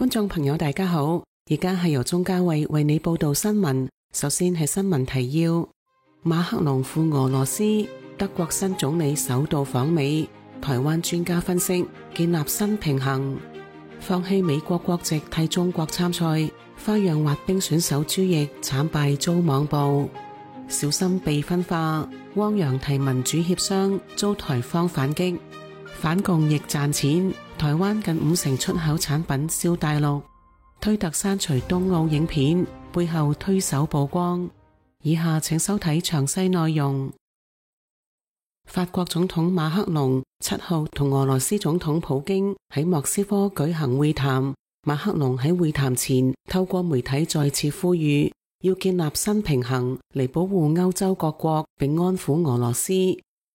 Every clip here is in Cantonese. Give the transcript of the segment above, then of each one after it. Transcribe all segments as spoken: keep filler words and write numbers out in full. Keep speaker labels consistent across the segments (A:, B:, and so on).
A: 觀眾朋友大家好，而家係由鍾嘉慧為你報道新聞。首先係新聞提要：馬克龍赴俄羅斯，德國新總理首度訪美。台灣專家分析，建立新平衡。放棄美國國籍替中國參賽，花樣滑冰選手朱易慘敗遭網暴。小心被分化，汪洋提民主協商遭台方反擊。反共亦賺錢，台灣近五成出口產品銷大陸。推特刪除東奧影片，背後推手曝光。以下請收睇詳細內容。法國總統馬克龍七號同俄羅斯總統普京喺莫斯科舉行會談。馬克龍喺會談前透過媒體再次呼籲，要建立新平衡嚟保護歐洲各國並安撫俄羅斯。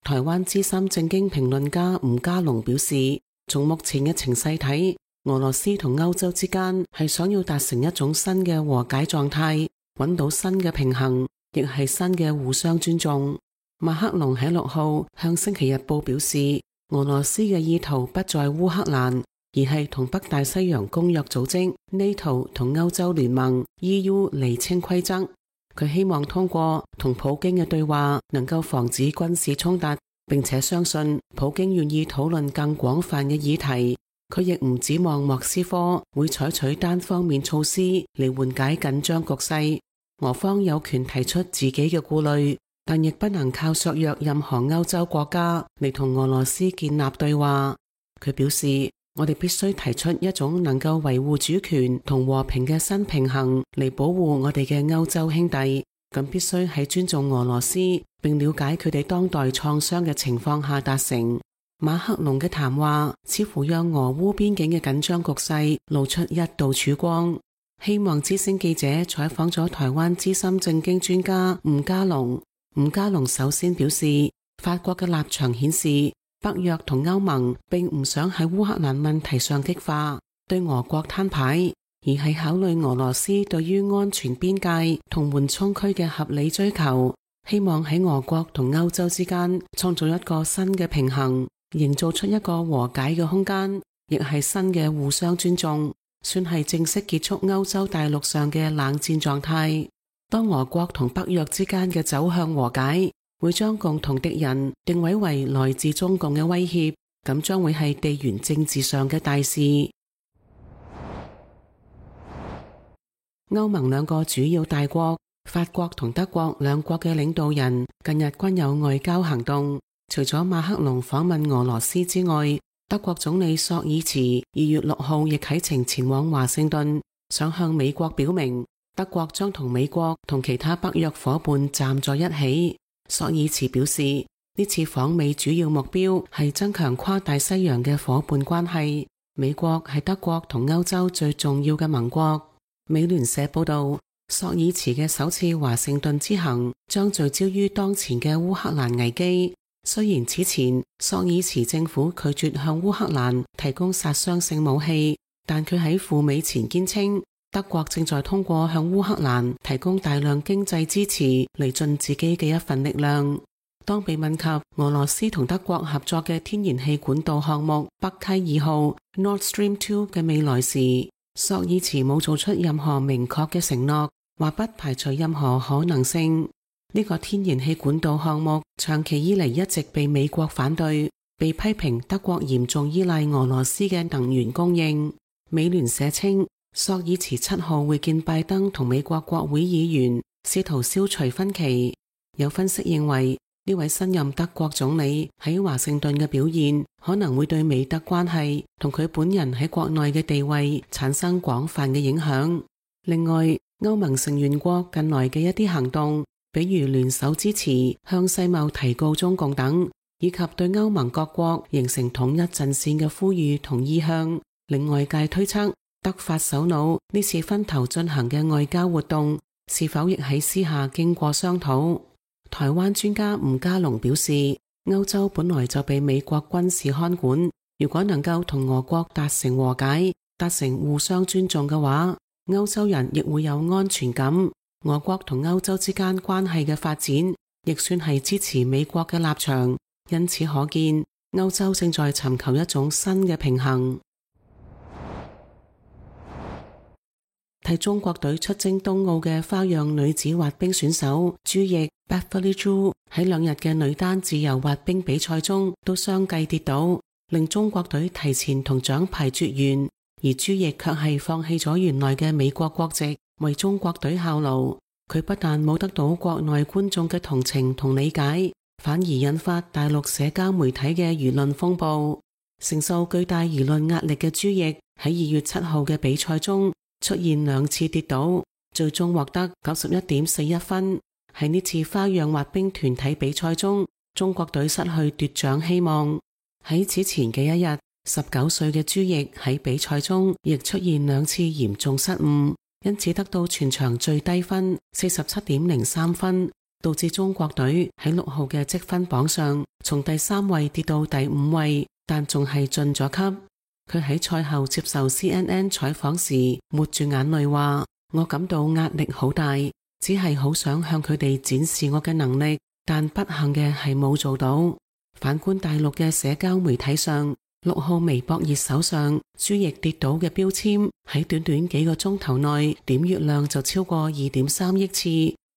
A: 台灣資深政經評論家吳家龍表示，從目前嘅情勢睇，俄羅斯同歐洲之間係想要達成一種新嘅和解狀態，揾到新嘅平衡，亦係新嘅互相尊重。馬克龍喺六號向星期日報表示，俄羅斯嘅意圖不在烏克蘭，而係同北大西洋公約組織 NATO 同歐洲聯盟 E U 釐清規則。佢希望通過同普京嘅對話能夠防止軍事衝突，並且相信普京願意討論更廣泛嘅議題。佢亦唔指望莫斯科會採取單方面措施嚟緩解緊張局勢。俄方有權提出自己嘅顧慮，但亦不能靠削弱任何歐洲國家嚟同俄羅斯建立對話。佢表示，我哋必須提出一種能夠維護主權同和平嘅新平衡嚟保護我哋嘅歐洲兄弟，咁必須喺尊重俄羅斯並了解佢哋當代創傷嘅情況下達成。馬克龍嘅談話似乎讓俄烏邊境嘅緊張局勢露出一道曙光。希望之聲記者採訪咗台灣資深政經專家吳家龍。吳家龍首先表示，法國嘅立場顯示，北約同歐盟並唔想喺烏克蘭問題上激化，對俄國攤牌，而係考慮俄羅斯對於安全邊界同緩衝區嘅合理追求，希望喺俄國同歐洲之間創造一個新嘅平衡，營造出一個和解嘅空間，亦係新嘅互相尊重，算係正式結束歐洲大陸上嘅冷戰狀態。當俄國同北約之間嘅走向和解，會將共同敵人定位為來自中共嘅威脅，咁將會係地緣政治上嘅大事。歐盟兩個主要大國，法國同德國兩國嘅領導人近日均有外交行動。除咗馬克龍訪問俄羅斯之外，德國總理朔爾茨二月六號亦啟程前往華盛頓，想向美國表明德國將同美國同其他北約夥伴站在一起。朔爾茨表示，呢次訪美主要目標係增強跨大西洋嘅夥伴關係。美國係德國同歐洲最重要嘅盟國。美聯社報道，朔爾茨嘅首次華盛頓之行將聚焦於當前嘅烏克蘭危機。雖然此前朔爾茨政府拒絕向烏克蘭提供殺傷性武器，但佢喺赴美前堅稱，德國正在通過向烏克蘭提供大量經濟支持嚟盡自己嘅一份力量。當被問及俄羅斯同德國合作嘅天然氣管道項目北溪二號 Nord Stream 二嘅未來時，朔爾茨冇做出任何明確嘅承諾，話不排除任何可能性。呢個天然氣管道項目長期以嚟一直被美國反對，被批評德國嚴重依賴俄羅斯嘅能源供應。美聯社稱，朔爾茨七號會見拜登同美國國會議員，試圖消除分歧。有分析認為，呢位新任德國總理喺華盛頓嘅表現，可能會對美德關係同佢本人喺國內嘅地位產生廣泛嘅影響。另外，歐盟成員國近來嘅一啲行動，比如聯手支持向世貿提告中共等，以及對歐盟各國形成統一陣線嘅呼籲同意向，令外界推測德法首腦呢次分頭進行嘅外交活動，是否亦喺私下經過商討。台灣專家吳家龍表示，歐洲本來就被美國軍事看管，如果能夠同俄國達成和解，達成互相尊重嘅話，歐洲人亦會有安全感。俄國同歐洲之間關係嘅發展，亦算係支持美國嘅立場，因此可見，歐洲正在尋求一種新嘅平衡。替中國隊出征東奧嘅花樣女子滑冰選手朱易 Beverly Zhu 喺兩日嘅女單自由滑冰比賽中都相繼跌倒，令中國隊提前同獎牌絕緣，而朱易卻係放棄咗原來嘅美國國籍，為中國隊效勞。佢不但冇得到國內觀眾嘅同情同理解，反而引發大陸社交媒體嘅輿論風暴。承受巨大輿論壓力嘅朱易喺二月七號嘅比賽中出現兩次跌倒，最終獲得九十一點四一分。喺呢次花樣滑冰團體比賽中，中國隊失去奪獎希望。喺此前嘅一日，十九歲嘅朱易喺比賽中亦出現兩次嚴重失誤，因此得到全場最低分四十七點零三分，導致中國隊喺六號嘅積分榜上從第三位跌到第五位，但仲係晉咗級。佢喺賽後接受 C N N 採訪時抹住眼淚話：我感到壓力好大，只係好想向佢哋展示我嘅能力，但不幸嘅係冇做到。反觀大陸嘅社交媒體上，六號微博熱搜上朱易跌倒嘅標籤喺短短幾個鐘頭內點閱量就超過二點三億次，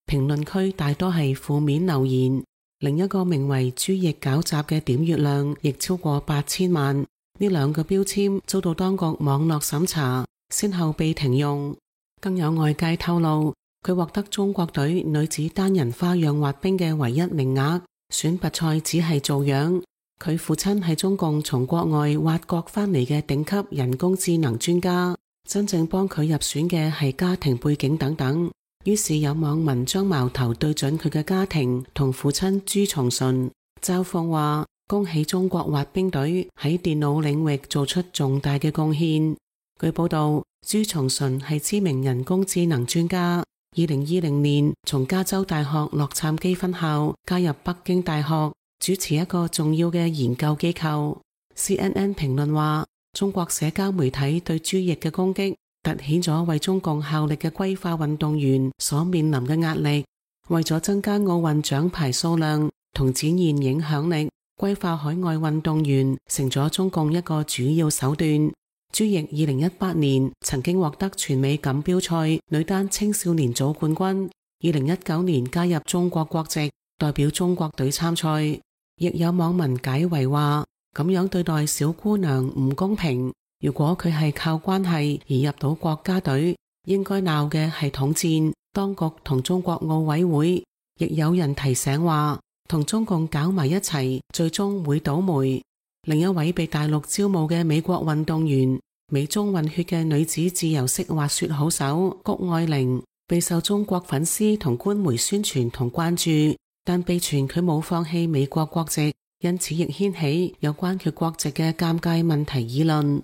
A: 評論區大多係負面留言。另一個名為朱易搞砸嘅點閱量亦超過八千萬，呢兩個標籤遭到當局網絡審查，先後被停用。更有外界透露，佢獲得中國隊女子單人花樣滑冰嘅唯一名額，選拔賽只係做樣。佢父親係中共從國外挖角翻嚟嘅頂級人工智能專家，真正幫佢入選嘅係家庭背景等等。於是有網民將矛頭對準佢嘅家庭同父親朱松順，嘲諷話：恭喜中國滑冰隊喺電腦領域做出重大嘅貢獻。據報道，朱松順係知名人工智能專家，二零二零年從加州大學洛杉磯分校加入北京大學，主持一個重要嘅研究機構。C N N 評論話，中國社交媒體對朱易嘅攻擊凸顯咗為中共效力嘅歸化運動員所面臨嘅壓力。為咗增加奧運獎牌數量同展現影響力，歸化海外運動員成咗中共一個主要手段。朱易二零一八年曾經獲得全美錦標賽女單青少年組冠軍，二零一九年加入中國國籍，代表中國隊參賽。亦有網民解圍話，咁樣對待小姑娘唔公平。如果佢係靠關係而入到國家隊，應該鬧嘅係統戰當局同中國奧委會。亦有人提醒話，同中共搞埋一齊，最終會倒霉。另一位被大陸招募嘅美國運動員，美中混血嘅女子自由式滑雪好手谷愛凌，備受中國粉絲同官媒宣傳同關注，但被傳佢冇放棄美國國籍，因此亦掀起有關佢國籍嘅尷尬問題議論。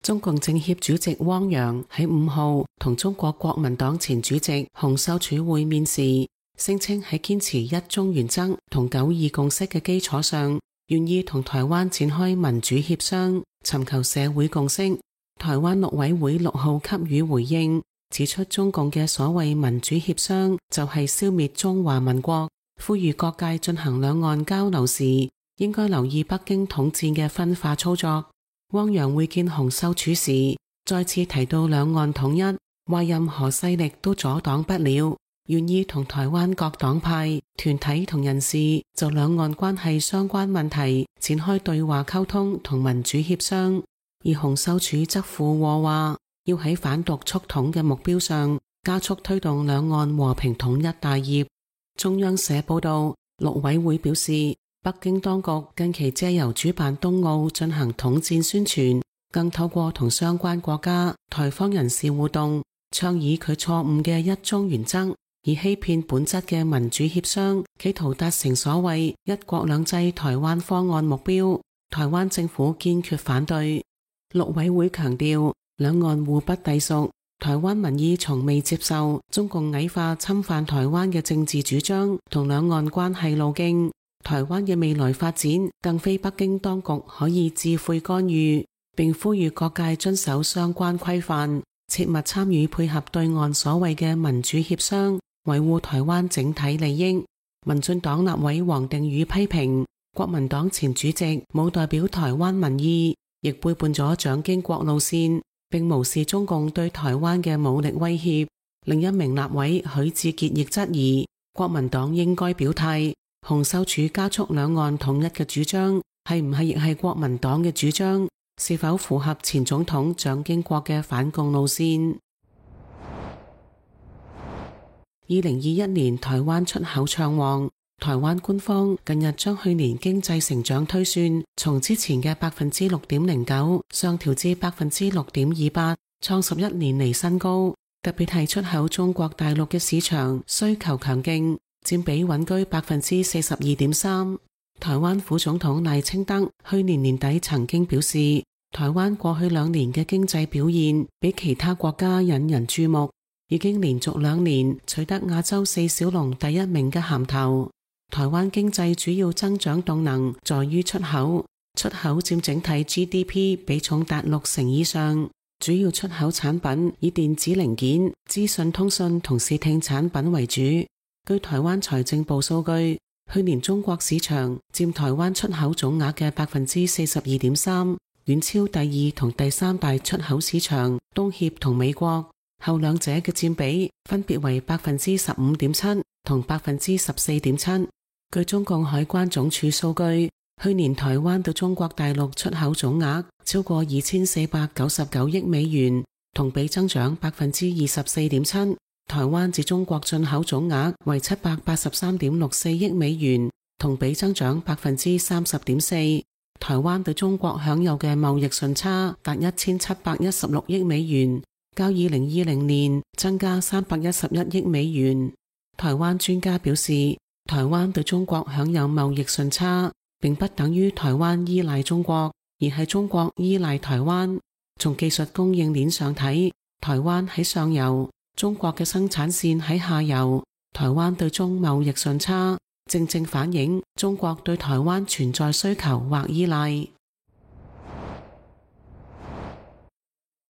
A: 中共政協主席汪洋喺五號同中國國民黨前主席洪秀柱會面時，聲稱喺堅持一中原則同九二共識嘅基礎上，願意同台灣展開民主協商，尋求社會共識。台灣陸委會六號給予回應，指出中共嘅所謂民主協商就係消滅中華民國，呼籲各界進行兩岸交流時，應該留意北京統戰嘅分化操作。汪洋會見洪秀柱時，再次提到兩岸統一，話任何勢力都阻擋不了，願意同台灣各黨派、團體同人士就兩岸關係相關問題展開對話溝通同民主協商。而洪秀柱則附和話，要喺反獨促統嘅目標上加速推動兩岸和平統一大業。中央社報道，陸委會表示，北京當局近期借由主辦東奧進行統戰宣傳，更透過同相關國家、台方人士互動，倡議佢錯誤嘅一中原則，以欺騙本質嘅民主協商，企圖達成所謂一國兩制台灣方案目標。台灣政府堅決反對。陸委會強調，兩岸互不隸屬，台灣民意從未接受中共矮化侵犯台灣嘅政治主張同兩岸關係路徑。台灣嘅未來發展更非北京當局可以置喙干預，並呼籲各界遵守相關規範，切勿參與配合對岸所謂嘅民主協商，維護台灣整體利益。民進黨立委王定宇批評國民黨前主席冇代表台灣民意，亦背叛咗蔣經國路線，並無視中共對台灣嘅武力威脅。另一名立委許智傑亦質疑國民黨應該表態，洪秀柱加速兩岸統一嘅主張係唔係亦係國民黨嘅主張，是否符合前總統蔣經國嘅反共路線。二零二一年台灣出口暢旺，台灣官方近日將去年經濟成長推算從之前嘅百分之六點零九上調至百分之六點二八，創十一年嚟新高。特別係出口中國大陸嘅市場需求強勁，佔比穩居百分之四十二點三。台灣副總統賴清德去年年底曾經表示，台灣過去兩年嘅經濟表現比其他國家引人注目，已經連續兩年取得亞洲四小龍第一名嘅銜頭。台灣經濟主要增長動能在於出口，出口佔整體 G D P 比重達六成以上。主要出口產品以電子零件、資訊通訊同視聽產品為主。據台灣財政部數據，去年中國市場佔台灣出口總額嘅百分之四十二點三，遠超第二同第三大出口市場東協同美國，後兩者嘅佔比分別為百分之十五點七同百分之十四點七。據中共海關總署數據，去年台灣到中國大陸出口總額超過二千四百九十九億美元，同比增長百分之二十四點七。台灣自中國進口總額為七百八十三點六四億美元，同比增長百分之三十點四。台灣對中國享有嘅貿易順差達一千七百一十六億美元，較二零二零年增加三百一十一億美元。台灣專家表示，台灣對中國享有貿易順差，並不等於台灣依賴中國，而係中國依賴台灣。從技術供應鏈上睇，台灣喺上游，中國嘅生產線喺下游。台灣對中貿易順差，正正反映中國對台灣存在需求或依賴。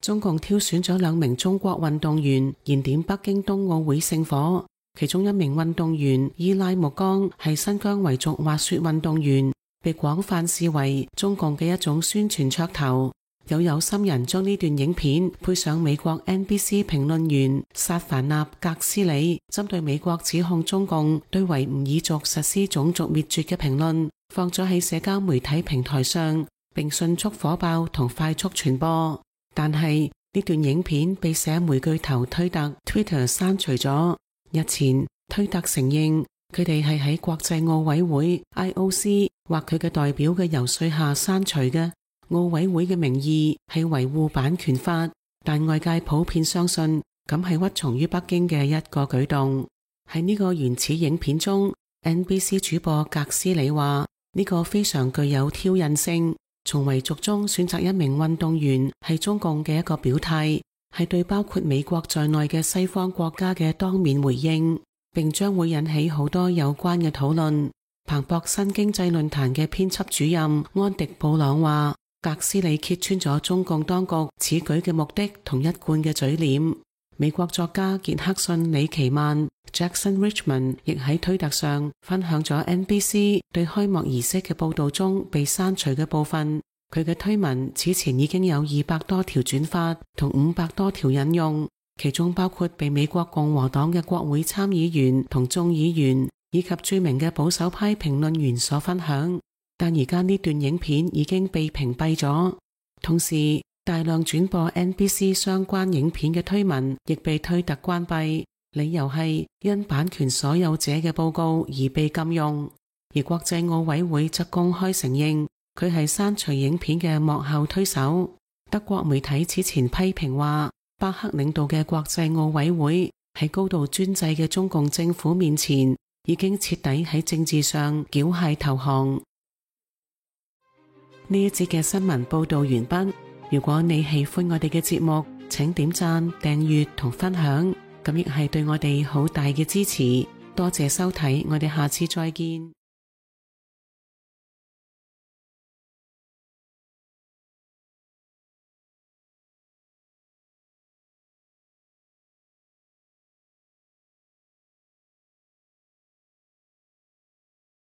A: 中共挑選咗兩名中國運動員燃點北京冬奧會聖火，其中一名運動員伊拉木江係新疆維族滑雪運動員，被廣泛視為中共嘅一種宣傳噱頭。有有心人將呢段影片配上美國 N B C 評論員薩凡納格斯里針對美國指控中共對維吾爾族實施種族滅絕嘅評論，放咗喺社交媒體平台上，並迅速火爆同快速傳播。但係呢段影片被社媒巨頭推特 Twitter 刪除咗。日前推特承認佢哋係喺國際奧委會 I O C 或佢嘅代表嘅游說下刪除嘅。奧委會嘅名義係維護版權法，但外界普遍相信咁係屈從於北京嘅一個舉動。喺呢個原始影片中， N B C 主播格斯里話呢個非常具有挑釁性，從維族中選擇一名運動員係中共嘅一個表態，係對包括美國在內嘅西方國家嘅當面回應，並將會引起好多有關嘅討論。彭博新經濟論壇嘅編輯主任安迪布朗話，格斯里揭穿咗中共當局此舉嘅目的同一貫嘅嘴臉。美國作家傑克遜李奇曼 Jackson Richmond 亦喺推特上分享咗 N B C 對開幕儀式嘅報道中被刪除嘅部分。佢嘅推文此前已經有二百多條轉發同五百多條引用，其中包括被美國共和黨嘅國會參議員同眾議員以及著名嘅保守派評論員所分享。但而家呢段影片已經被屏蔽咗，同時大量轉播 N B C 相關影片嘅推文亦被推特關閉，理由係因版權所有者嘅報告而被禁用。而國際奧委會則公開承認佢係刪除影片嘅幕後推手。德國媒體此前批評話，巴克領導嘅國際奧委會喺高度專制嘅中共政府面前已經徹底喺政治上繳械投降。呢一節嘅新聞報道完畢。如果你喜歡我哋嘅節目，請點讚、訂閱同分享，咁亦係對我哋好大嘅支持。多謝收睇，我哋下次再見。